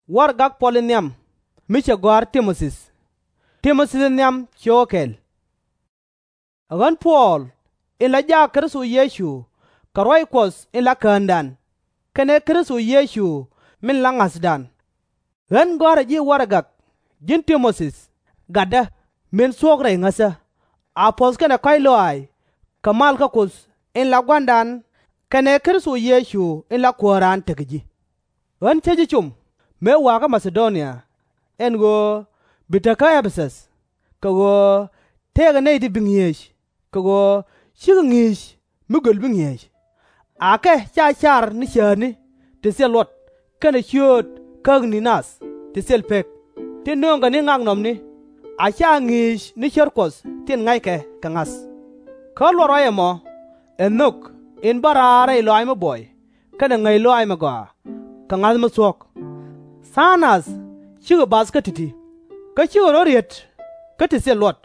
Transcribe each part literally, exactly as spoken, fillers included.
Warɛgak Puɔl in nhiam mi cɛ gɔ̱a̱r Ti-mo-thi. Ti-mo-thi in nhiam cio̱o̱k kɛl. Ɛ ɣän Puɔl, in la jaak Kritho Yecu kɛ ruac Kuɔth in la Käändan, kɛnɛ Kritho Yecu min la ŋa̱thdan. Ɣän gɔ̱a̱rä ji̱ warɛgak, ji̱n Ti-mo-thi gatdä, min thuɔ̱k rɛy ŋäthä, a puɔ̱th kɛnɛ kɔ̱a̱c lɔaac kɛ mal kä Kuoth in la Gua̱a̱ra kɛnɛ Kritho Yecu in la Kuääran tekɛ ji̱. Ɣän cä ji̱ com mëë wa̱a̱ kä Ma-tha-do-nia, ɛn ɣöö bi te kä Ɛ-pɛ-thäth, kɛ ɣöö tëëkɛ nɛy ti bi ŋi̱eec, kɛ ɣöö /cikɛ ŋi̱i̱c mi göl bi ŋi̱eec. Akɛ /ca car ni cäätni ti thil luɔt kɛnɛ ciööt käkni nath ti thil pek, tin nööŋkɛ ni ŋaknɔmni, a /ca ŋi̱i̱c ni cär Kuɔth tin ŋa̱ckɛ kɛ ŋa̱th. Kä luɔt ruac ɛmɔ, ɛ nhök in bä raar rɛy lɔaac mi buɔy kɛnɛ ŋäc lɔaac mi gɔaa kɛ ŋa̱th mi thuɔ̱k. Tha̱a̱ŋ nath /cikɛ bath kä ti̱ti̱, kä /cikɛ rɔ̱ riet kä ti thil luɔt.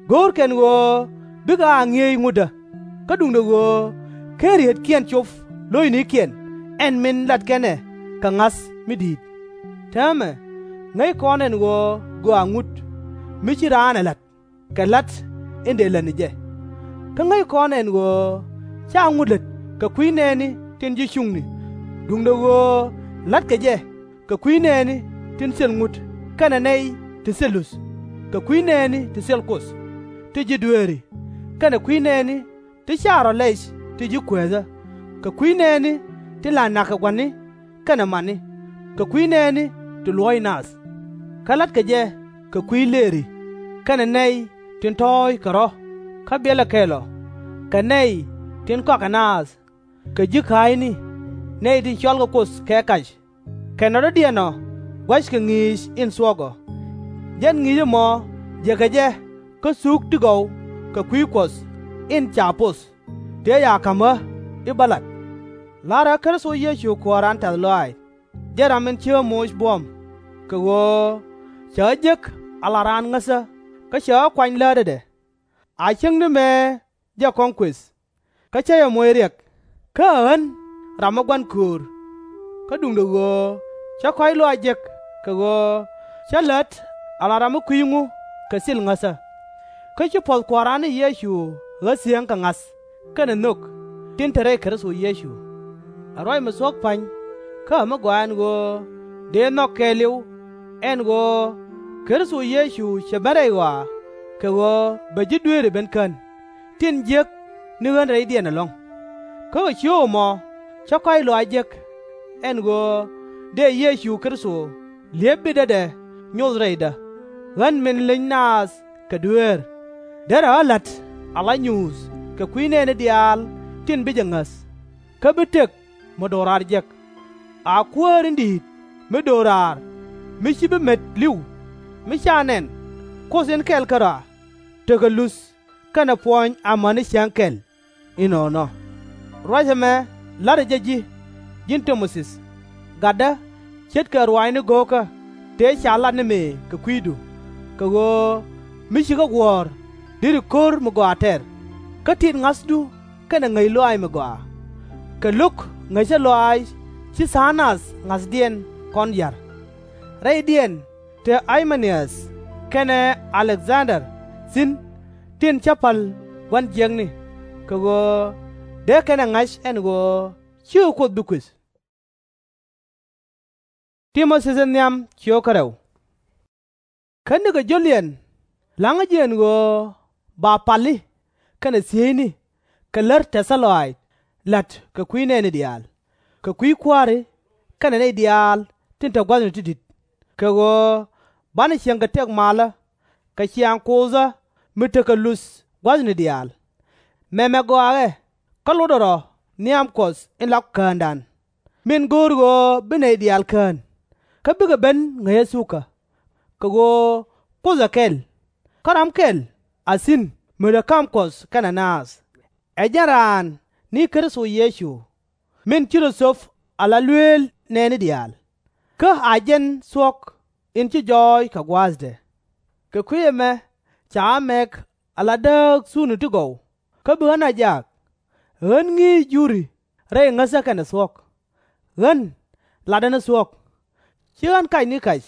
Go̱o̱rkɛ ɛn ɣöö bikɛ a ŋi̱eec ŋutdä, kä duundɛ ɣöö /ken rieetkiɛn cop lo̱cnikiɛn ɛn min latkɛn ɛ kɛ ŋa̱th mi di̱i̱t. Täämɛ, ŋäc kɔn ɛ ɛn ɣöö gɔaa ŋut mi /ci raan ɛ la̱t kɛ la̱t in dëë lät ni jɛ. Kä ŋäc kɔn ɛ ɛn ɣöö /ca ŋut lät kɛ kui̱ nɛɛni tin ji̱ cuŋni, duundɛ ɣöö la̱tkɛ jɛ kɛ kui̱ nɛɛni tin thil ŋut kɛnɛ nɛy ti thil luth, kɛ kui̱ nɛɛni ti thil Kuoth ti ji̱ dueeri, kɛnɛ kui̱ nɛɛni ti /ca rɔ̱ lɛc ti ji̱ kueethä, kɛ kui̱ nɛɛni tin la na̱k kɛ gua̱ni kɛnɛ mani, kɛ kui̱ nɛɛni ti luɔ̱ɔ̱c nath. Kä la̱tkɛ jɛ kɛ kui̱ lëëri, kɛnɛ nɛy tin tɔ̱ɔ̱c kɛ rɔ̱ kä biɛlɛ kɛl ɔ, kɛ nɛy tin kɔakɛ naath, kɛ ji̱ ka̱a̱cni, nɛy tin cɔalkɛ Kuoth kɛ kac, kɛnɛ rɔ̱diɛn ɔ gua̱ckɛ ŋi̱i̱c in thuɔ̱k ɔ. Jɛn ŋi̱i̱c ɛmɔ jëkɛ jɛ kä thuk ti gɔw kɛ kui̱ Kuɔth in ca poth, tëë ca ka̱m ɣä i̱ bä lat. La̱rä ɣä Kritho Yecu Kuääran tɛ̈th lɔaac, jɛn ram in ci ɣä moc buɔ̱m, kɛ ɣöö cɛ ɣä jek ala raan ŋäthä, kä cɛ ɣä kuany läätädɛ. A cäŋ ni mëë jɛ kɔŋ kuëth, kä /cä jɛ moc riɛk, kä ɛ ɣän ram mi gua̱n köör. Kä duundɛ ɣöö cä kɔ̱a̱c lɔaac jek, kɛ ɣöö cä lät ala ram mi kui̱c ŋu kɛ thil ŋäthä. Kä ci puɔ̱th Kua̱ran ni Yecu ɣä thiäŋ kɛ ŋa̱th kɛnɛ nhök tin te rɛy Kritho Yecu. Ɛ ruac mi thuɔ̱k pa̱ny, kä ɛ mi gɔaa ɛn ɣöö dëë nhɔk kɛɛliw, ɛn ɣöö Kritho Yecu cɛ ben rɛy ɣɔaa, kɛ ɣöö bɛ ji̱ dueeri ben kän, tin jiäk ni ɣän rɛydiɛn ɛlɔ̱ŋ. Kä kɛ ciöök ɛmɔ cä kɔ̱a̱c lɔaac jek, ɛn ɣöö dëë Yecu Kritho li̱ep bitädɛ nyoth rɛydä, ɣän min leny naath kɛ dueer. Derɛ ɣä la̱t ala nyuuth kɛ kui̱ nɛɛni diaal tin bi jɛ ŋäth, kä bi tëk mi do̱raar jek. A Kuäär in di̱i̱t mi do̱raar, mi /ci bi met li̱w, mi /ca nɛn, Kuoth in kɛl kärɔa, tekɛ luth kɛnɛ puɔny amäni cäŋ kɛl. Inɔnɔ. Ruac ɛmɛ la̱tdä jɛ ji̱, ji̱n Ti-mo-thi gatdä, ce̱tkɛ ruaacni go̱o̱kä tëë ca lat ni mëë kɛ kui̱du, kɛ ɣöö mi ci kä guɔ̱ɔ̱r deri ko̱r mi gɔaa tɛr, kä tit ŋa̱thdu kɛnɛ ŋäc lɔaac mi gɔaa. Kɛ lo̱k ŋäcä lɔaac ci tha̱a̱ŋ nath ŋa̱thdiɛn kɔn ya̱r. Rɛydiɛn te Ɣay-mɛ-ni-äth kɛnɛ Ä-lek-dhan-der thi̱n, tin cä pa̱l gua̱n jiäkni, kɛ ɣöö dee kɛn ɛ ŋa̱c ɛn ɣöö /cikɛ Kuoth bi kuëth. Kä nikɛ jio̱liɛn la̱ŋä ji̱ ɛn ɣöö ba pali kɛnɛ thiecni kɛ lär tɛthä lɔaac la̱t kɛ kui̱ nɛɛni diaal, kɛ kui̱ kua̱ri kɛnɛ nɛy diaal tin te gua̱thni ti di̱t, kɛ ɣöö banɛ cieŋ kɛ tëk malä kɛ ciaŋ Kuothä mi tekɛ luth gua̱thni diaal. Mɛmɛ gɔaa ɛ kä lotdɛ rɔ nhiam Kuɔth in la Käändan, min go̱o̱r ɣöö bi nɛy diaal kään, kä bikɛ ben ŋäcä thukä. Kɛ ɣöö Kuoth ɛ kɛl, kä ram kɛl a thi̱n mi te ka̱m Kuɔth kɛnɛ naath. Ɛ jɛn raan ni Kritho Yecu, min ci rɔ thöp ala lueel nɛɛni diaal, kä a jɛn thuɔ̱k in ci jɔɔc kɛ gua̱a̱thdɛ. Kɛ kui̱ ɛmɛ ca ɣä mɛk ala dääk thukni ti gɔw, kä bi ɣän a jak. Ɣän ŋi̱i̱c juri rɛy ŋäthä kɛnɛ thuɔ̱k. Ɣän latdä ni thuɔ̱k, /Ci ɣän kacni kɛ̈c.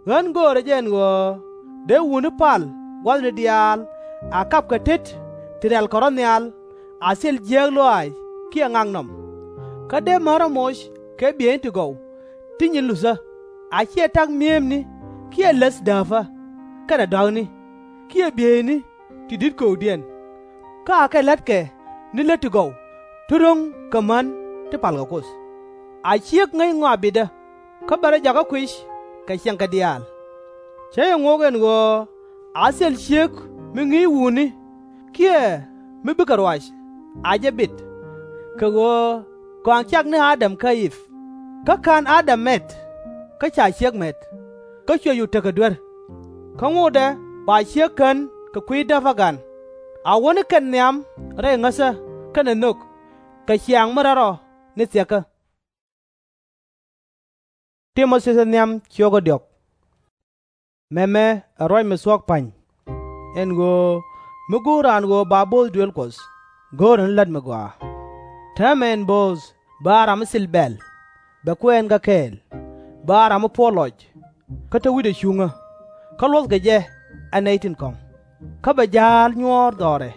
Ɣän göörä jɛ ɛn ɣöö dee wutni pal gua̱thni diaal a kap kɛ tet ti rɛ̈lkɛ rɔ̱ nhial, a thil jiääk lɔaac kiɛ ŋaknɔm. Kä dee män rɔ̱ moc kɛ bieyni ti gɔw ti nyin luthä, a /ciɛ ta̱k mi̱emni kiɛ läth dääpä kɛnɛ dɔ̱a̱kni kiɛ bieyni ti di̱t kökdiɛn, kä akɛ la̱tkɛ ni lät ti gɔw ti ro̱ŋ kɛ män ti palkɛ Kuoth. A ciek ŋäc ŋɔak bitdä, kä bɛ rɔ jakä kuic kɛ ciɛŋkɛ diaal. Cä jɛ ŋok ɛn ɣöö a thil ciek mi ŋi̱i̱c wutni kiɛ mi bikɛ ruac a jɛ bit, kɛ ɣöö kɔaŋ cak ni Adam kä Iv. Kä /ka̱n Adam mɛt, kä ca ciek mɛt, kä cuɛ cu tekɛ duer. Kä ŋotdɛ ba ciek kän kɛ kui̱ däpä gan, a wä ni kɛn nhiam rɛy ŋäthä kɛnɛ nhök, kɛ ciaŋ mi räl rɔ ni thiɛkä. Mɛmɛ ɛ ruac mi thuɔ̱k pa̱ny, ɛn ɣöö mi go̱o̱r raan ɣöö ba bo̱o̱th duëël Kuɔth, go̱o̱rɛ ni la̱t mi gɔaa. Täämɛ ɛn bo̱o̱th bɛ a ram mi thil bɛ̈l, bɛ kuɛɛn kä kɛɛl, bɛ a ram mi puɔ̱t lɔc, kä te wi̱cdɛ cuŋä, kä luɔ̱thkɛ jɛ ɛ nɛy tin kɔ̱ŋ, kä bɛ ja̱a̱l nyuɔ̱ɔ̱r dhɔrɛ,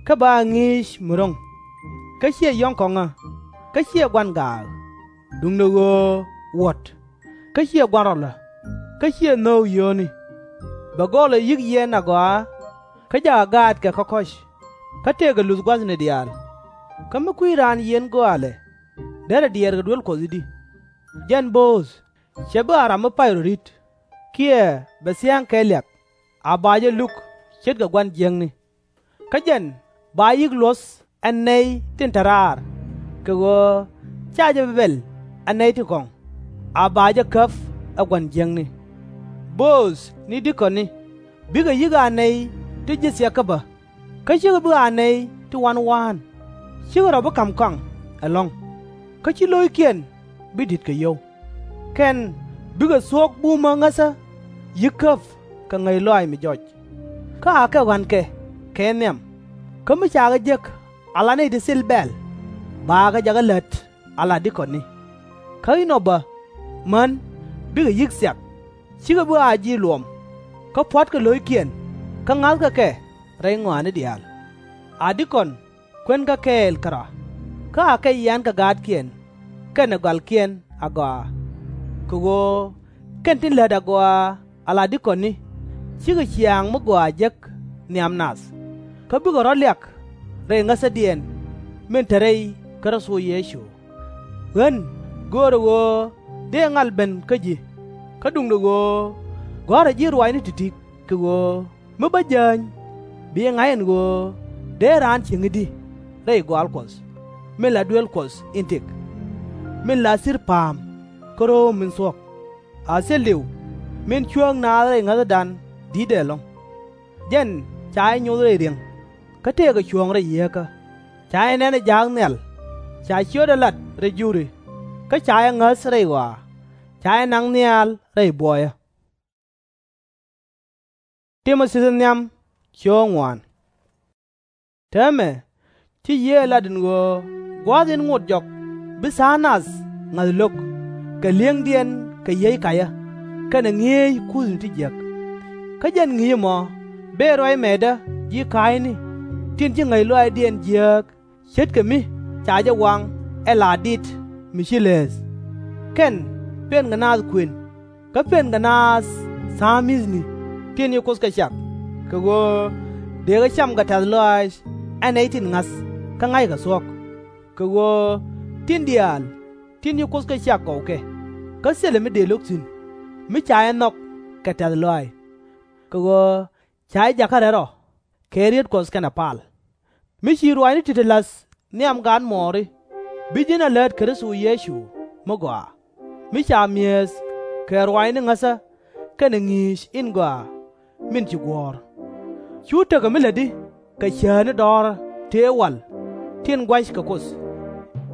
kä bɛ a ŋi̱i̱c mi ro̱ŋ, kä /ciɛ yɔ̱ŋ kɔŋä, kä /ciɛ gua̱n gaak, duundɛ ɣöö wuɔ̱t, kä /ciɛ gua̱n rɔlä, kä /ciɛ nhöök yio̱o̱ni. Bɛ gɔlɛ yi̱k yiɛn agɔaa, kä jakɛ gaatkɛ kä kɔ̱c, kä tëëkɛ luth gua̱thni diaal. Kä mi kui̱c raan yiɛn gɔaalɛ, derɛ diɛɛr kɛ duel Kuɔth i̱di? Jɛn bo̱o̱th /cɛ bi a ram mi pay rɔ ri̱t, kiɛ bɛ thia̱a̱ŋ kɛ liak, a ba jɛ luk ce̱tkɛ gua̱n jiäkni. Kä jɛn ba yi̱k luɔ̱th ɛ nɛy tin te raar, kɛ ɣöö /ca jɛ bi bɛl ɛ nɛy tin kɔ̱ŋ, a ba jɛ käp ɛ gua̱n jiäkni. Bo̱o̱th ni di̱kɔni bikɛ yi̱k a nɛy ti ji̱ thiɛkä bä, kä /cikɛ bi a nɛy ti wa̱n wa̱a̱n. /Cikɛ rɔ̱ bi ka̱m kɔaŋ ɛlɔ̱ŋ, kä /ci lo̱ckiɛn bi di̱t kɛ yio̱w. Kɛn bikɛ thuɔ̱k bumä ŋäthä yi̱k käp kɛ ŋäc lɔaac mi jɔc. Kä akɛ ɣɔ̱a̱nkɛ kɛ nhiam. Kä mi ca kɛ jek ala nɛy ti thil bɛ̈l, bakɛ jakä lät ala di̱kɔni. Kä inɔ bä män bikɛ yi̱k thiak, /cikɛ bi a ji̱ luɔm, kä pua̱tkɛ lo̱ckiɛn kä ŋa̱thkɛ kɛ rɛy ŋɔaani diaal. A di̱kɔn kuɛnkɛ kɛɛl kärɔa, kä akɛ yiankɛ gaatkiɛn kɛnɛ gɔalkiɛn agɔaa. Kɛ ɣöö kɛn tin lät agɔaa ala di̱kɔni /cikɛ ciaŋ mi gɔaa jek nhiam nath, kä bikɛ rɔ̱ liak rɛy ŋäthädiɛn min te rɛy Kritho Yecu. Ɣän göörä ɣöö dëë ŋal ben kä ji̱, kä duundɛ ɣöö gɔ̱a̱rä ji̱ ruaacni ti̱ti̱, kɛ ɣöö mi bä jääny bi jɛ ŋa̱c ɛn ɣöö dee raan cieŋ i̱di rɛy gɔaal Kuɔth, min la duel Kuɔth in tëk, min la thi̱r pa̱a̱m kä ro̱o̱m min thuɔ̱k. A thil diw min cuääŋ naath rɛy ŋäthädan di̱tdɛ ɛlɔ̱ŋ. Jɛn ca jɛ nyoth rɛy ri̱eŋ, kä tëëkɛ cuɔ̱ɔ̱ŋ rɛy yieekä. Ca jɛ nɛn ɛ ja̱a̱k nhial, ca ciötdɛ lat rɛy juri, kä ca jɛ ŋäth rɛy ɣɔaa, ca jɛ naŋ nhial rɛy buɔyä. Täämɛ ci Yiëë ɛ lat ɛn ɣöö gua̱a̱th in ŋot jɔk bi tha̱a̱ŋ nath ŋa̱th lo̱k kɛ li̱eŋdiɛn kɛ yiey kacä kɛnɛ ŋi̱eec kuthni ti jiäk. Kä jɛn ŋi̱i̱c ɛmɔ bëë ruac mɛɛtdä ji̱ ka̱a̱cni tin ci ŋäc lɔaacdiɛn jiääk ce̱tkɛ mi ca jɛ waŋ ɛ la dit mi ci leeth. Kɛn pënkɛ naath kuën, kä pënkɛ naath tha̱a̱ŋ mi̱thni tin ci Kuoth kɛ cak, kɛ ɣöö dëëkɛ cam kɛ tɛ̈th lɔaac ɛ nɛy tin ŋa̱th kä ŋa̱ckɛ thuɔ̱k. Kɛ ɣöö tin diaal tin ci Kuoth kɛ cak gɔwkɛ, kä thilɛ mi dëë lo̱k thi̱n, mi ca jɛ nhɔk kɛ tɛ̈th lɔaac. Kɛ ɣöö ca jɛ jakä rɛl rɔ kɛ riet Kuɔth kɛnɛ pal. Mi ci ruaacni ti̱ti̱ la̱th nhiam gaatmuɔɔri, bi ji̱n a läät Kritho Yecu mi gɔaa, mi ca mi̱eth kɛ ruaacni ŋäthä kɛnɛ ŋi̱i̱c in gɔaa min ci guɔ̱ɔ̱r. Cu tekɛ mi lätdi kɛ cäätni dɔ̱ɔ̱rä tëë wal tin gua̱c kɛ Kuoth.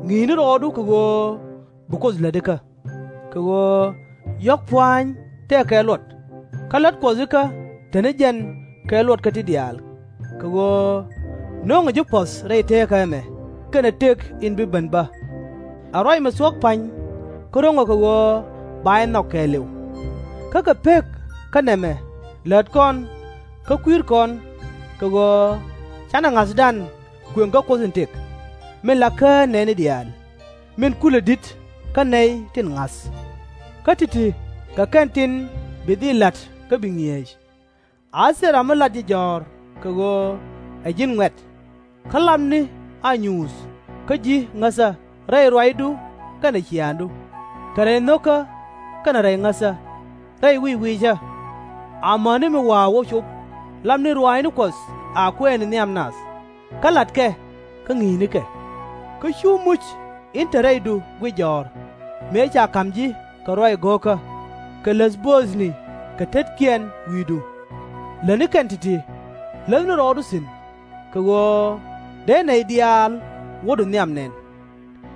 Ŋi̱i̱cni rɔɔdu kɛ ɣöö bi Kuoth lät ikä. Kɛ ɣöö yɔ̱k pua̱a̱ny tëë kɛ luɔt, kä la̱t Kuɔth ikä te ni jɛn kɛ luɔt kä ti diaal. Kɛ ɣöö no̱ŋɛ ji̱ puɔ̱th rɛy teekä ɛmɛ kɛnɛ tëk in bi ben bä. A ruac mi thuɔ̱k pa̱ny, kä ro̱ŋɛ kɛ ɣöö ba jɛ nhɔk kɛɛliw. Kä kɛ pek kä nɛmɛ lät kɔn kä kui̱r kɔn, kɛ ɣöö canɛ ŋa̱thdan kuëŋ kä Kuoth in tëk, min la kään nɛɛni diaal, min kulɛ di̱t kä nɛy tin ŋa̱th. Kä ti̱ti̱ kɛ kɛn tin bi dhil la̱t kä bi ŋi̱eec. A thil ram mi lat ji̱ jɔ̱ɔ̱r kɛ ɣöö ɛ ji̱n ŋuɛ̈t. Kä lapni a nyuuth kä ji̱ ŋäthä rɛy ruacdu kɛnɛ ciaaŋdu, kɛ rɛy nho̱kä kɛnɛ rɛy ŋäthä, rɛy wic wiicä. Amäni mi wa̱a̱ wä cop, lapni ruaacni Kuɔth a kuɛɛni nhiam nath, kä latkɛ kä ŋi̱i̱cnikɛ. Kä /cu muc in te rɛydu guic jɔ̱ɔ̱r, mëë ca ka̱m ji̱ kɛ ruac go̱o̱kä, kɛ läth bööthni kɛ tetkiɛn wi̱i̱du. Lätni kɛn ti̱ti̱, läthni rɔɔdu thi̱n, kɛ ɣöö dee nɛy diaal wädu nhiam nɛn.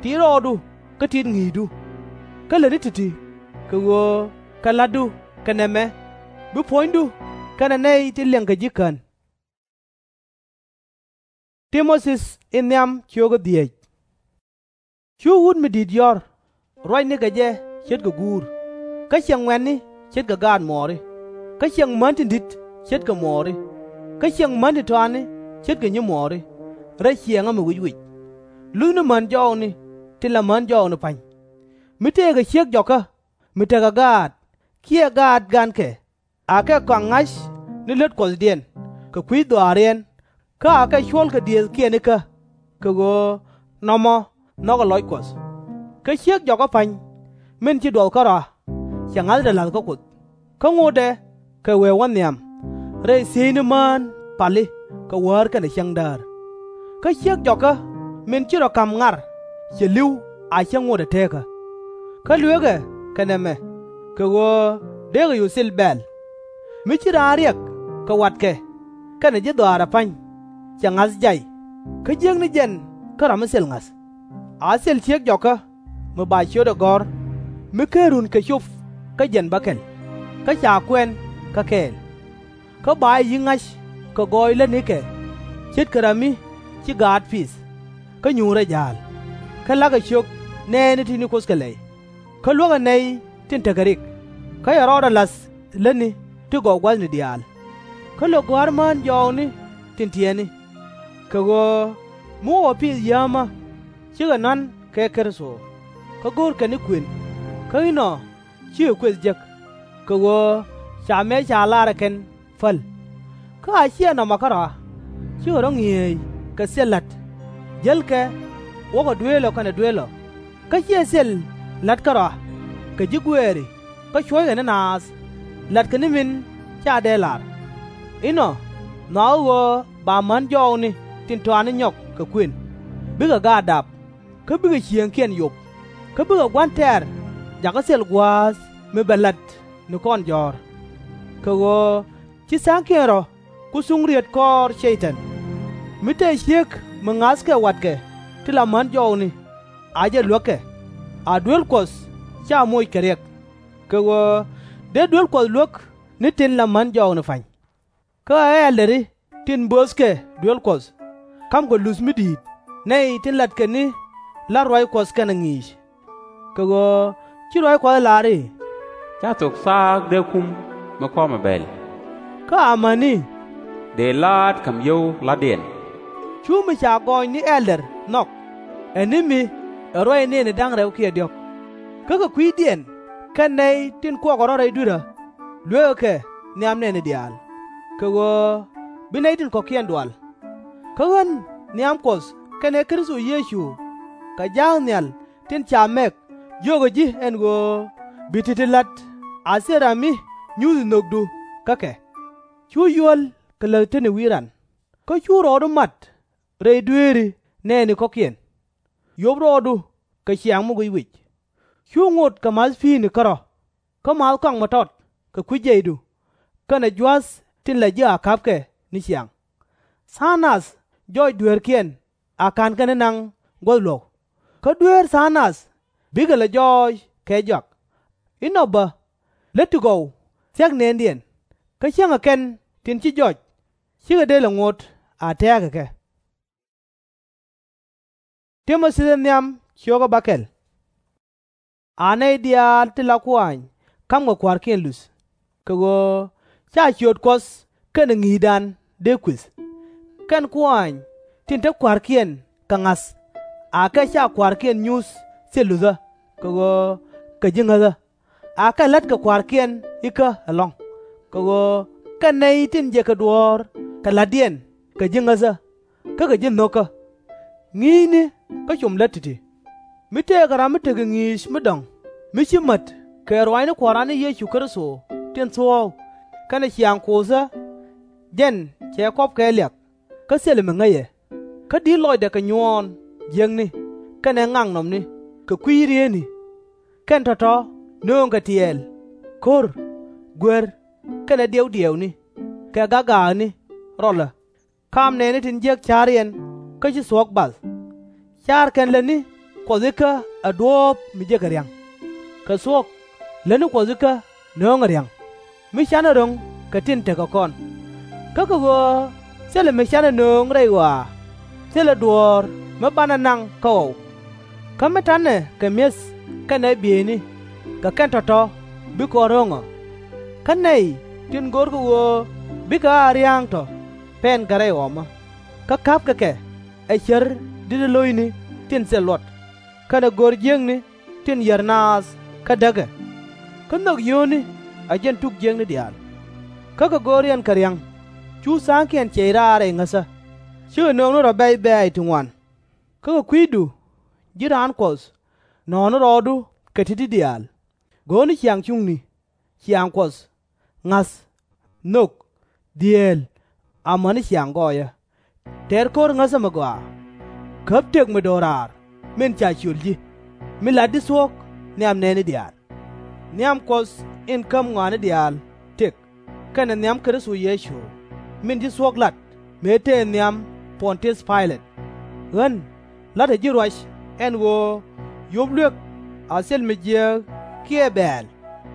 Ti̱i̱t rɔɔdu kä ti̱i̱t ŋi̱i̱cdu. Kä lätni ti̱ti̱, kɛ ɣöö kɛ la̱tdu kɛ nɛmɛ bi puɔ̱nydu kɛnɛ nɛy tin liɛŋkɛ ji̱ kän. Cu wut mi di̱i̱t yɔ̱r, ruacni kɛ jɛ ce̱tkɛ guur, kä ciɛŋ ŋuɛ̈tni ce̱tkɛ gaat muɔɔri, kä ciɛŋ män tin di̱t ce̱tkɛ muɔɔri, kä ciɛŋ män tin tɔatni ce̱tkɛ nyimuɔɔri, rɛy ciɛɛŋä mi wic wic. Luthni män jɔɔkni tin la män jɔɔkni pa̱ny. Mi tëëkɛ ciek jɔkä mi tekɛ gaat kiɛ gaat gankɛ, akɛ kɔaŋ ŋa̱c ni lät Kuɔthdiɛn kɛ kui̱ dhɔaariɛn, kä akɛ cuɔ̱lkɛ diëëthkiɛn ikä, kɛ ɣöö nɔmɔ nhɔkɛ lɔc Kuɔth. Kä ciek jɔkä pa̱ny, min ci duɔth kärɔa, cɛ ŋa̱thdɛ la̱th kä Kuoth, kä ŋotdɛ kɛ wee wä nhiam, rɛy thiecni mään pali kɛ wäär kɛnɛ cäŋdäär. Kä ciek jɔkä min ci rɔ ka̱m ŋar cɛ li̱w a cäŋ ŋotdɛ teekä. Kä luekɛ kɛ nɛmɛ, kɛ ɣöö dee kɛ cu thil bɛ̈ɛ̈l. Mi ci raan riɛk kɛ watkɛ kɛnɛ ji̱ dhɔaarɛ pa̱ny, cɛ ŋa̱th jay, kä jiäkni jɛn kä ram mi thil ŋa̱th. A thil ciek jɔkä mi ba ciötdɛ gɔ̱r, mi /ken runkɛ cop kä jiɛn bäkɛl, kä ca kuɛn kä kɛɛl. Kä ba jɛ yi̱k ŋa̱c kɛ gɔɔy lätnikɛ, ce̱tkɛ ram mi ci gaat pith, kä nyuurɛ ja̱a̱l, kä la̱kɛ ciök nɛɛni tin ci Kuoth kɛ lɛy, kä luäkɛ nɛy tin tekɛ rik, kä cɛ rɔɔdɛ la̱th lätni ti gɔw gua̱thni diaal. Kä lo̱k gɔ̱a̱r mään jɔɔkni tin tiɛtni. Kɛ ɣöö mi wä pith yäämä, cikɛ nɔ̱a̱n kɛ Kritho, kä go̱o̱rkɛ ni kuën, kä inɔ cikɛ kuëth jek, kɛ ɣöö ca mëë ca lar ɛ kɛn päl. Kä a /ciɛ nɔmɔ kärɔa, cikɛ rɔ̱ ŋi̱eec kɛ thil la̱t, jälkɛ wäkɛ duëël ɔ kɛnɛ duel ɔ, kä /ciɛ thil la̱t kärɔa kɛ ji̱ guɛɛri kä cuɔ̱ckɛ ni naath, latkɛ ni min /ca dee lar. Inɔ nhɔakä ɣöö ba män jɔɔkni tin tɔatni nyɔk kɛ kuën, bikɛ gaat dap, kä bikɛ ciëëŋkiɛn yop, kä bikɛ gua̱n tɛ̈r jakä thil gua̱a̱th mi bɛ la̱t ni kɔn jɔ̱ɔ̱r. Kɛ ɣöö ci tha̱a̱ŋkiɛn rɔ̱ ku thuŋ riet kɔɔr Cɛy-tan. Mi te ciek mi ŋa̱thkɛ watkɛ ti la män jɔɔkni, a jɛ luäk kɛ, a duel Kuɔth /ca moc kɛ riɛk. Kɛ ɣöö dee duel Kuɔth luäk ni tin la män jɔɔkni pa̱ny. Kä ɛ ɛldɛri tin böthkɛ duel Kuɔth, ka̱mkɛ luth mi di̱i̱t nɛy tin latkɛ ni la̱t ruac Kuɔth kɛnɛ ŋi̱i̱c. Kɛ ɣöö ci ruac Kuɔth ɛ lar i̱, Ca thok thaak dee kum mi kɔmɛ bɛl. Kä amäni, Dëë la̱a̱t ka̱m yio̱w la̱tdiɛn. Cu mi ca gɔɔny ni ɛldɛr nhɔk, ɛ ni mi ɛ ruac nëëni da̱ŋ rɛw kiɛ diɔ̱k. Kä kɛ kui̱diɛn kɛn nɛy tin kuɔkɛ rɔ̱ rɛy dui̱rä, luëkɛ kɛ nhiam nɛɛni diaal, kɛ ɣöö bi nɛy tin kɔ̱kiɛn dual. Kä ɣän nhiam Kuɔth kɛnɛ Kritho Yecu kɛ ja̱a̱k nhial tin ca mɛk jiökä ji̱ ɛn ɣöö bi ti̱ti̱ la̱t a thil ram mi nyuthi nhökdu kä kɛ. Cu yuäl kɛ läth tetni wi̱i̱ ran, kä cu rɔɔdu mat rɛy dueeri nɛɛni kɔ̱kiɛn. Yop rɔɔdu kɛ ciaaŋ mi guic wic. Cu ŋot kɛ ma̱th pi̱i̱ni kärɔ̱, kä ma̱th kɔaŋ mi tɔt kɛ kui̱ jiɛcdu, kɛnɛ jua̱th tin la ji̱ a ka̱pkɛ ni ciaŋ. Tha̱a̱ŋ nath jɔɔc dueerkiɛn a /ka̱nkɛ ni naŋ guäth luɔ̱k, kä dueer tha̱a̱ŋ nath bikɛ lɛ jɔɔc kɛ jɔak. Inɔ bä, lät ti gɔw thia̱k nëndiɛn, kä cäŋɛ kɛn tin ci jɔc, /cikɛ dee lɛ ŋot a tɛ̱̈ɛ̱̈kɛ kɛ. a nɛy diaal tin la kuaany ka̱mkɛ kua̱rkiɛn luth, kɛ ɣöö /ca ciöt Kuɔth kɛnɛ ŋi̱i̱cdan dee kuëth. Kɛn kuaany tin te kua̱rkiɛn kɛ ŋa̱th akɛ /ca kua̱rkiɛn nyuth thil luthä, kɛ ɣöö kɛ ji̱ ŋäthä. Akɛ la̱tkɛ kua̱rkiɛn ikä ɛlɔ̱ŋ, kɛ ɣöö kɛn nɛy tin jëkɛ duɔ̱ɔ̱r kɛ la̱tdiɛn kɛ ji̱ ŋäthä, kä kɛ ji̱ nho̱kä. Ŋi̱i̱cni kä com lät ti̱ti̱. Mi tëëkɛ ram mi tekɛ ŋi̱i̱c mi dɔ̱ŋ, mi /ci mät kɛ ruaacni Kua̱ran ni Yecu Kritho tin thuɔ̱k, kɛnɛ ciaŋ Kuoothä, jɛn cɛ kɔ̱p kɛ liak, kä thilɛ mi ŋäcɛ, kä di̱t lɔcdɛ kɛ nyuɔɔn jiäkni, kɛnɛ ŋaknɔmni, kɛ kui̱ rieetni. Kɛn tɔ̱tɔ̱ nööŋkɛ tiɛɛl, ko̱r, guer, kɛnɛ diɛw diɛwni, kɛ gak gaakni rɔlä. Kaam nɛɛni tin jiäk ca̱riɛn kä ci thuɔ̱k bath. Car kɛn lätni Kuɔth ikä ɛ duɔ̱ɔ̱p mi jëkɛ ria̱ŋ. Kɛ thuɔ̱k, lätni Kuɔth ikä nööŋɛ ria̱ŋ, mi canɛ ro̱ŋ kɛ tin tekɛ kɔn. Kä kɛ ɣöö thilɛ mi canɛ nööŋ rɛy ɣɔaa, thilɛ duɔ̱ɔ̱r mi banɛ naŋ kä ɣɔw. Kä mi ta̱nɛ kɛ mi̱eth kɛnɛ bieyni, kɛ kɛn tɔ̱tɔ̱ bi kɔn ro̱ŋ ɔ. Kä nɛy tin görkɛ ɣöö bikɛ a ria̱ŋ tɔ̱ pɛnkɛ rɛy ɣɔmä, kä ka̱pkɛ kɛ ɛ cär di̱tdä lo̱cni tin thil luɔt, kɛnɛ gör jiäkni tin yär naath kä däkɛ. Kä nhök yio̱o̱ni ɛ jɛn tuk jiäkni diaal. Kä kɛ go̱o̱riɛn kɛ ria̱ŋ, cu tha̱a̱ŋkiɛn ciɛc raar rɛy ŋäthä, /cikɛ nööŋni rɔ̱ bɛ̈c bɛ̈ɛ̈c ti ŋuan. Kä kɛ kui̱du, ji̱ raan Kuɔth, nɔ̱ɔ̱ni rɔɔdu kɛ ti̱ti̱ diaal. Go̱o̱rni ciaŋ cuŋni, ciaŋ Kuɔth, ŋa̱th, nhök, dhieel, amäni ciaŋ gɔɔyä. Tɛr ko̱r ŋäthä mi gɔaa. Käp tëk mi do̱raar min ca ciöl ji̱, mi latdi thuɔ̱k nhiam nɛɛni diaal. Nhiam Kuɔth in käp ŋɔaani diaal tëk, kɛnɛ nhiam Kritho Yecu, min ci thuɔ̱k lat mëë tëë nhiam Pɔn-tiäth Pay-lɛt. Ɣän la̱tdä ji̱ ruac ɛn ɣöö yop luek a thil mi jiääk kiɛ bɛ̈ɛ̈l,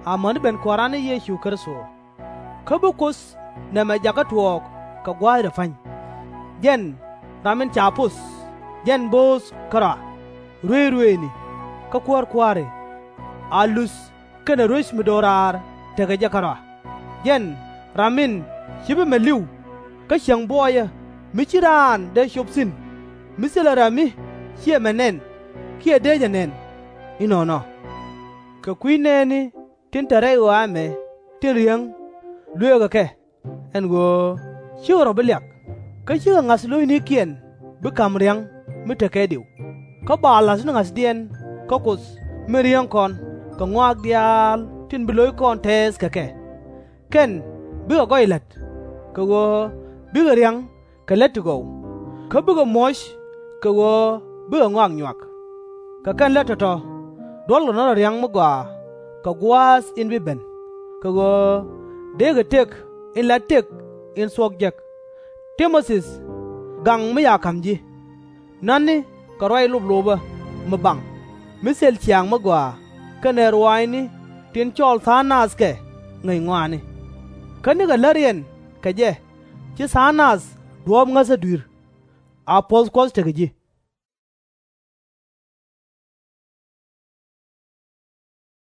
amäni ben Kua̱ran ni Yecu Kritho. Kä bi Kuoth nɛmɛ jakä tuɔɔk kɛ gua̱a̱thdɛ pa̱ny. Jɛn ram in ca poth, jɛn bööth kärɔa, ruëëc ruëëcni, kä kuäär kua̱ri, a luth kɛnɛ ruec mi do̱raar tekɛ jɛ kärɔa. Jɛn ram in /ci bi mɛ li̱w, kä cieŋ buɔyä mi /ci raan dee cop thi̱n, mi thilɛ ram mi /ciɛ mɛ nɛn kiɛ dee jɛ nɛn. Inɔnɔ. Kɛ kui̱ nɛɛni tin te rɛy ɣɔaa ɛmɛ tin riäŋ, luëëkɛ kɛ, ɛn ɣöö /cikɛ rɔ̱ bi liak, kä /cikɛ ŋa̱th lo̱cnikiɛn bi ka̱m ria̱ŋ mi tekɛ diw, kä ba la̱th ni ŋa̱thdiɛn kä Kuoth min riäŋ kɔn kɛ ŋɔak diaal tin bi lo̱ckɔn tɛɛth kɛ kɛ. Kɛn bikɛ gɔy la̱t, kɛ ɣöö bikɛ ria̱ŋ kɛ lät ti gɔw, kä bikɛ muɔ̱c kɛ ɣöö bikɛ ŋɔak nyuak. Kɛ kɛn lät tɔ̱tɔ̱, duɔ̱lkɛ nɔ rɔ ria̱ŋ mi gɔaa kɛ gua̱a̱th in bi ben, kɛ ɣöö deekɛ tëk in la tëk in thuɔ̱k jek. Ti-mo-thi, gaŋ mi ca ka̱m ji̱, na̱tni kɛ ruac loplopä mi baŋ, mi thil ciaŋ mi gɔaa kɛnɛ ruaacni tin cɔɔl tha̱a̱ŋ nath kɛ ŋäc ŋɔaani. Kä nikɛ läriɛn kɛ jɛ, ci tha̱a̱ŋ nath duɔ̱ɔ̱p ŋäthä dui̱r. A puɔ̱th Kuɔth tekɛ ji̱.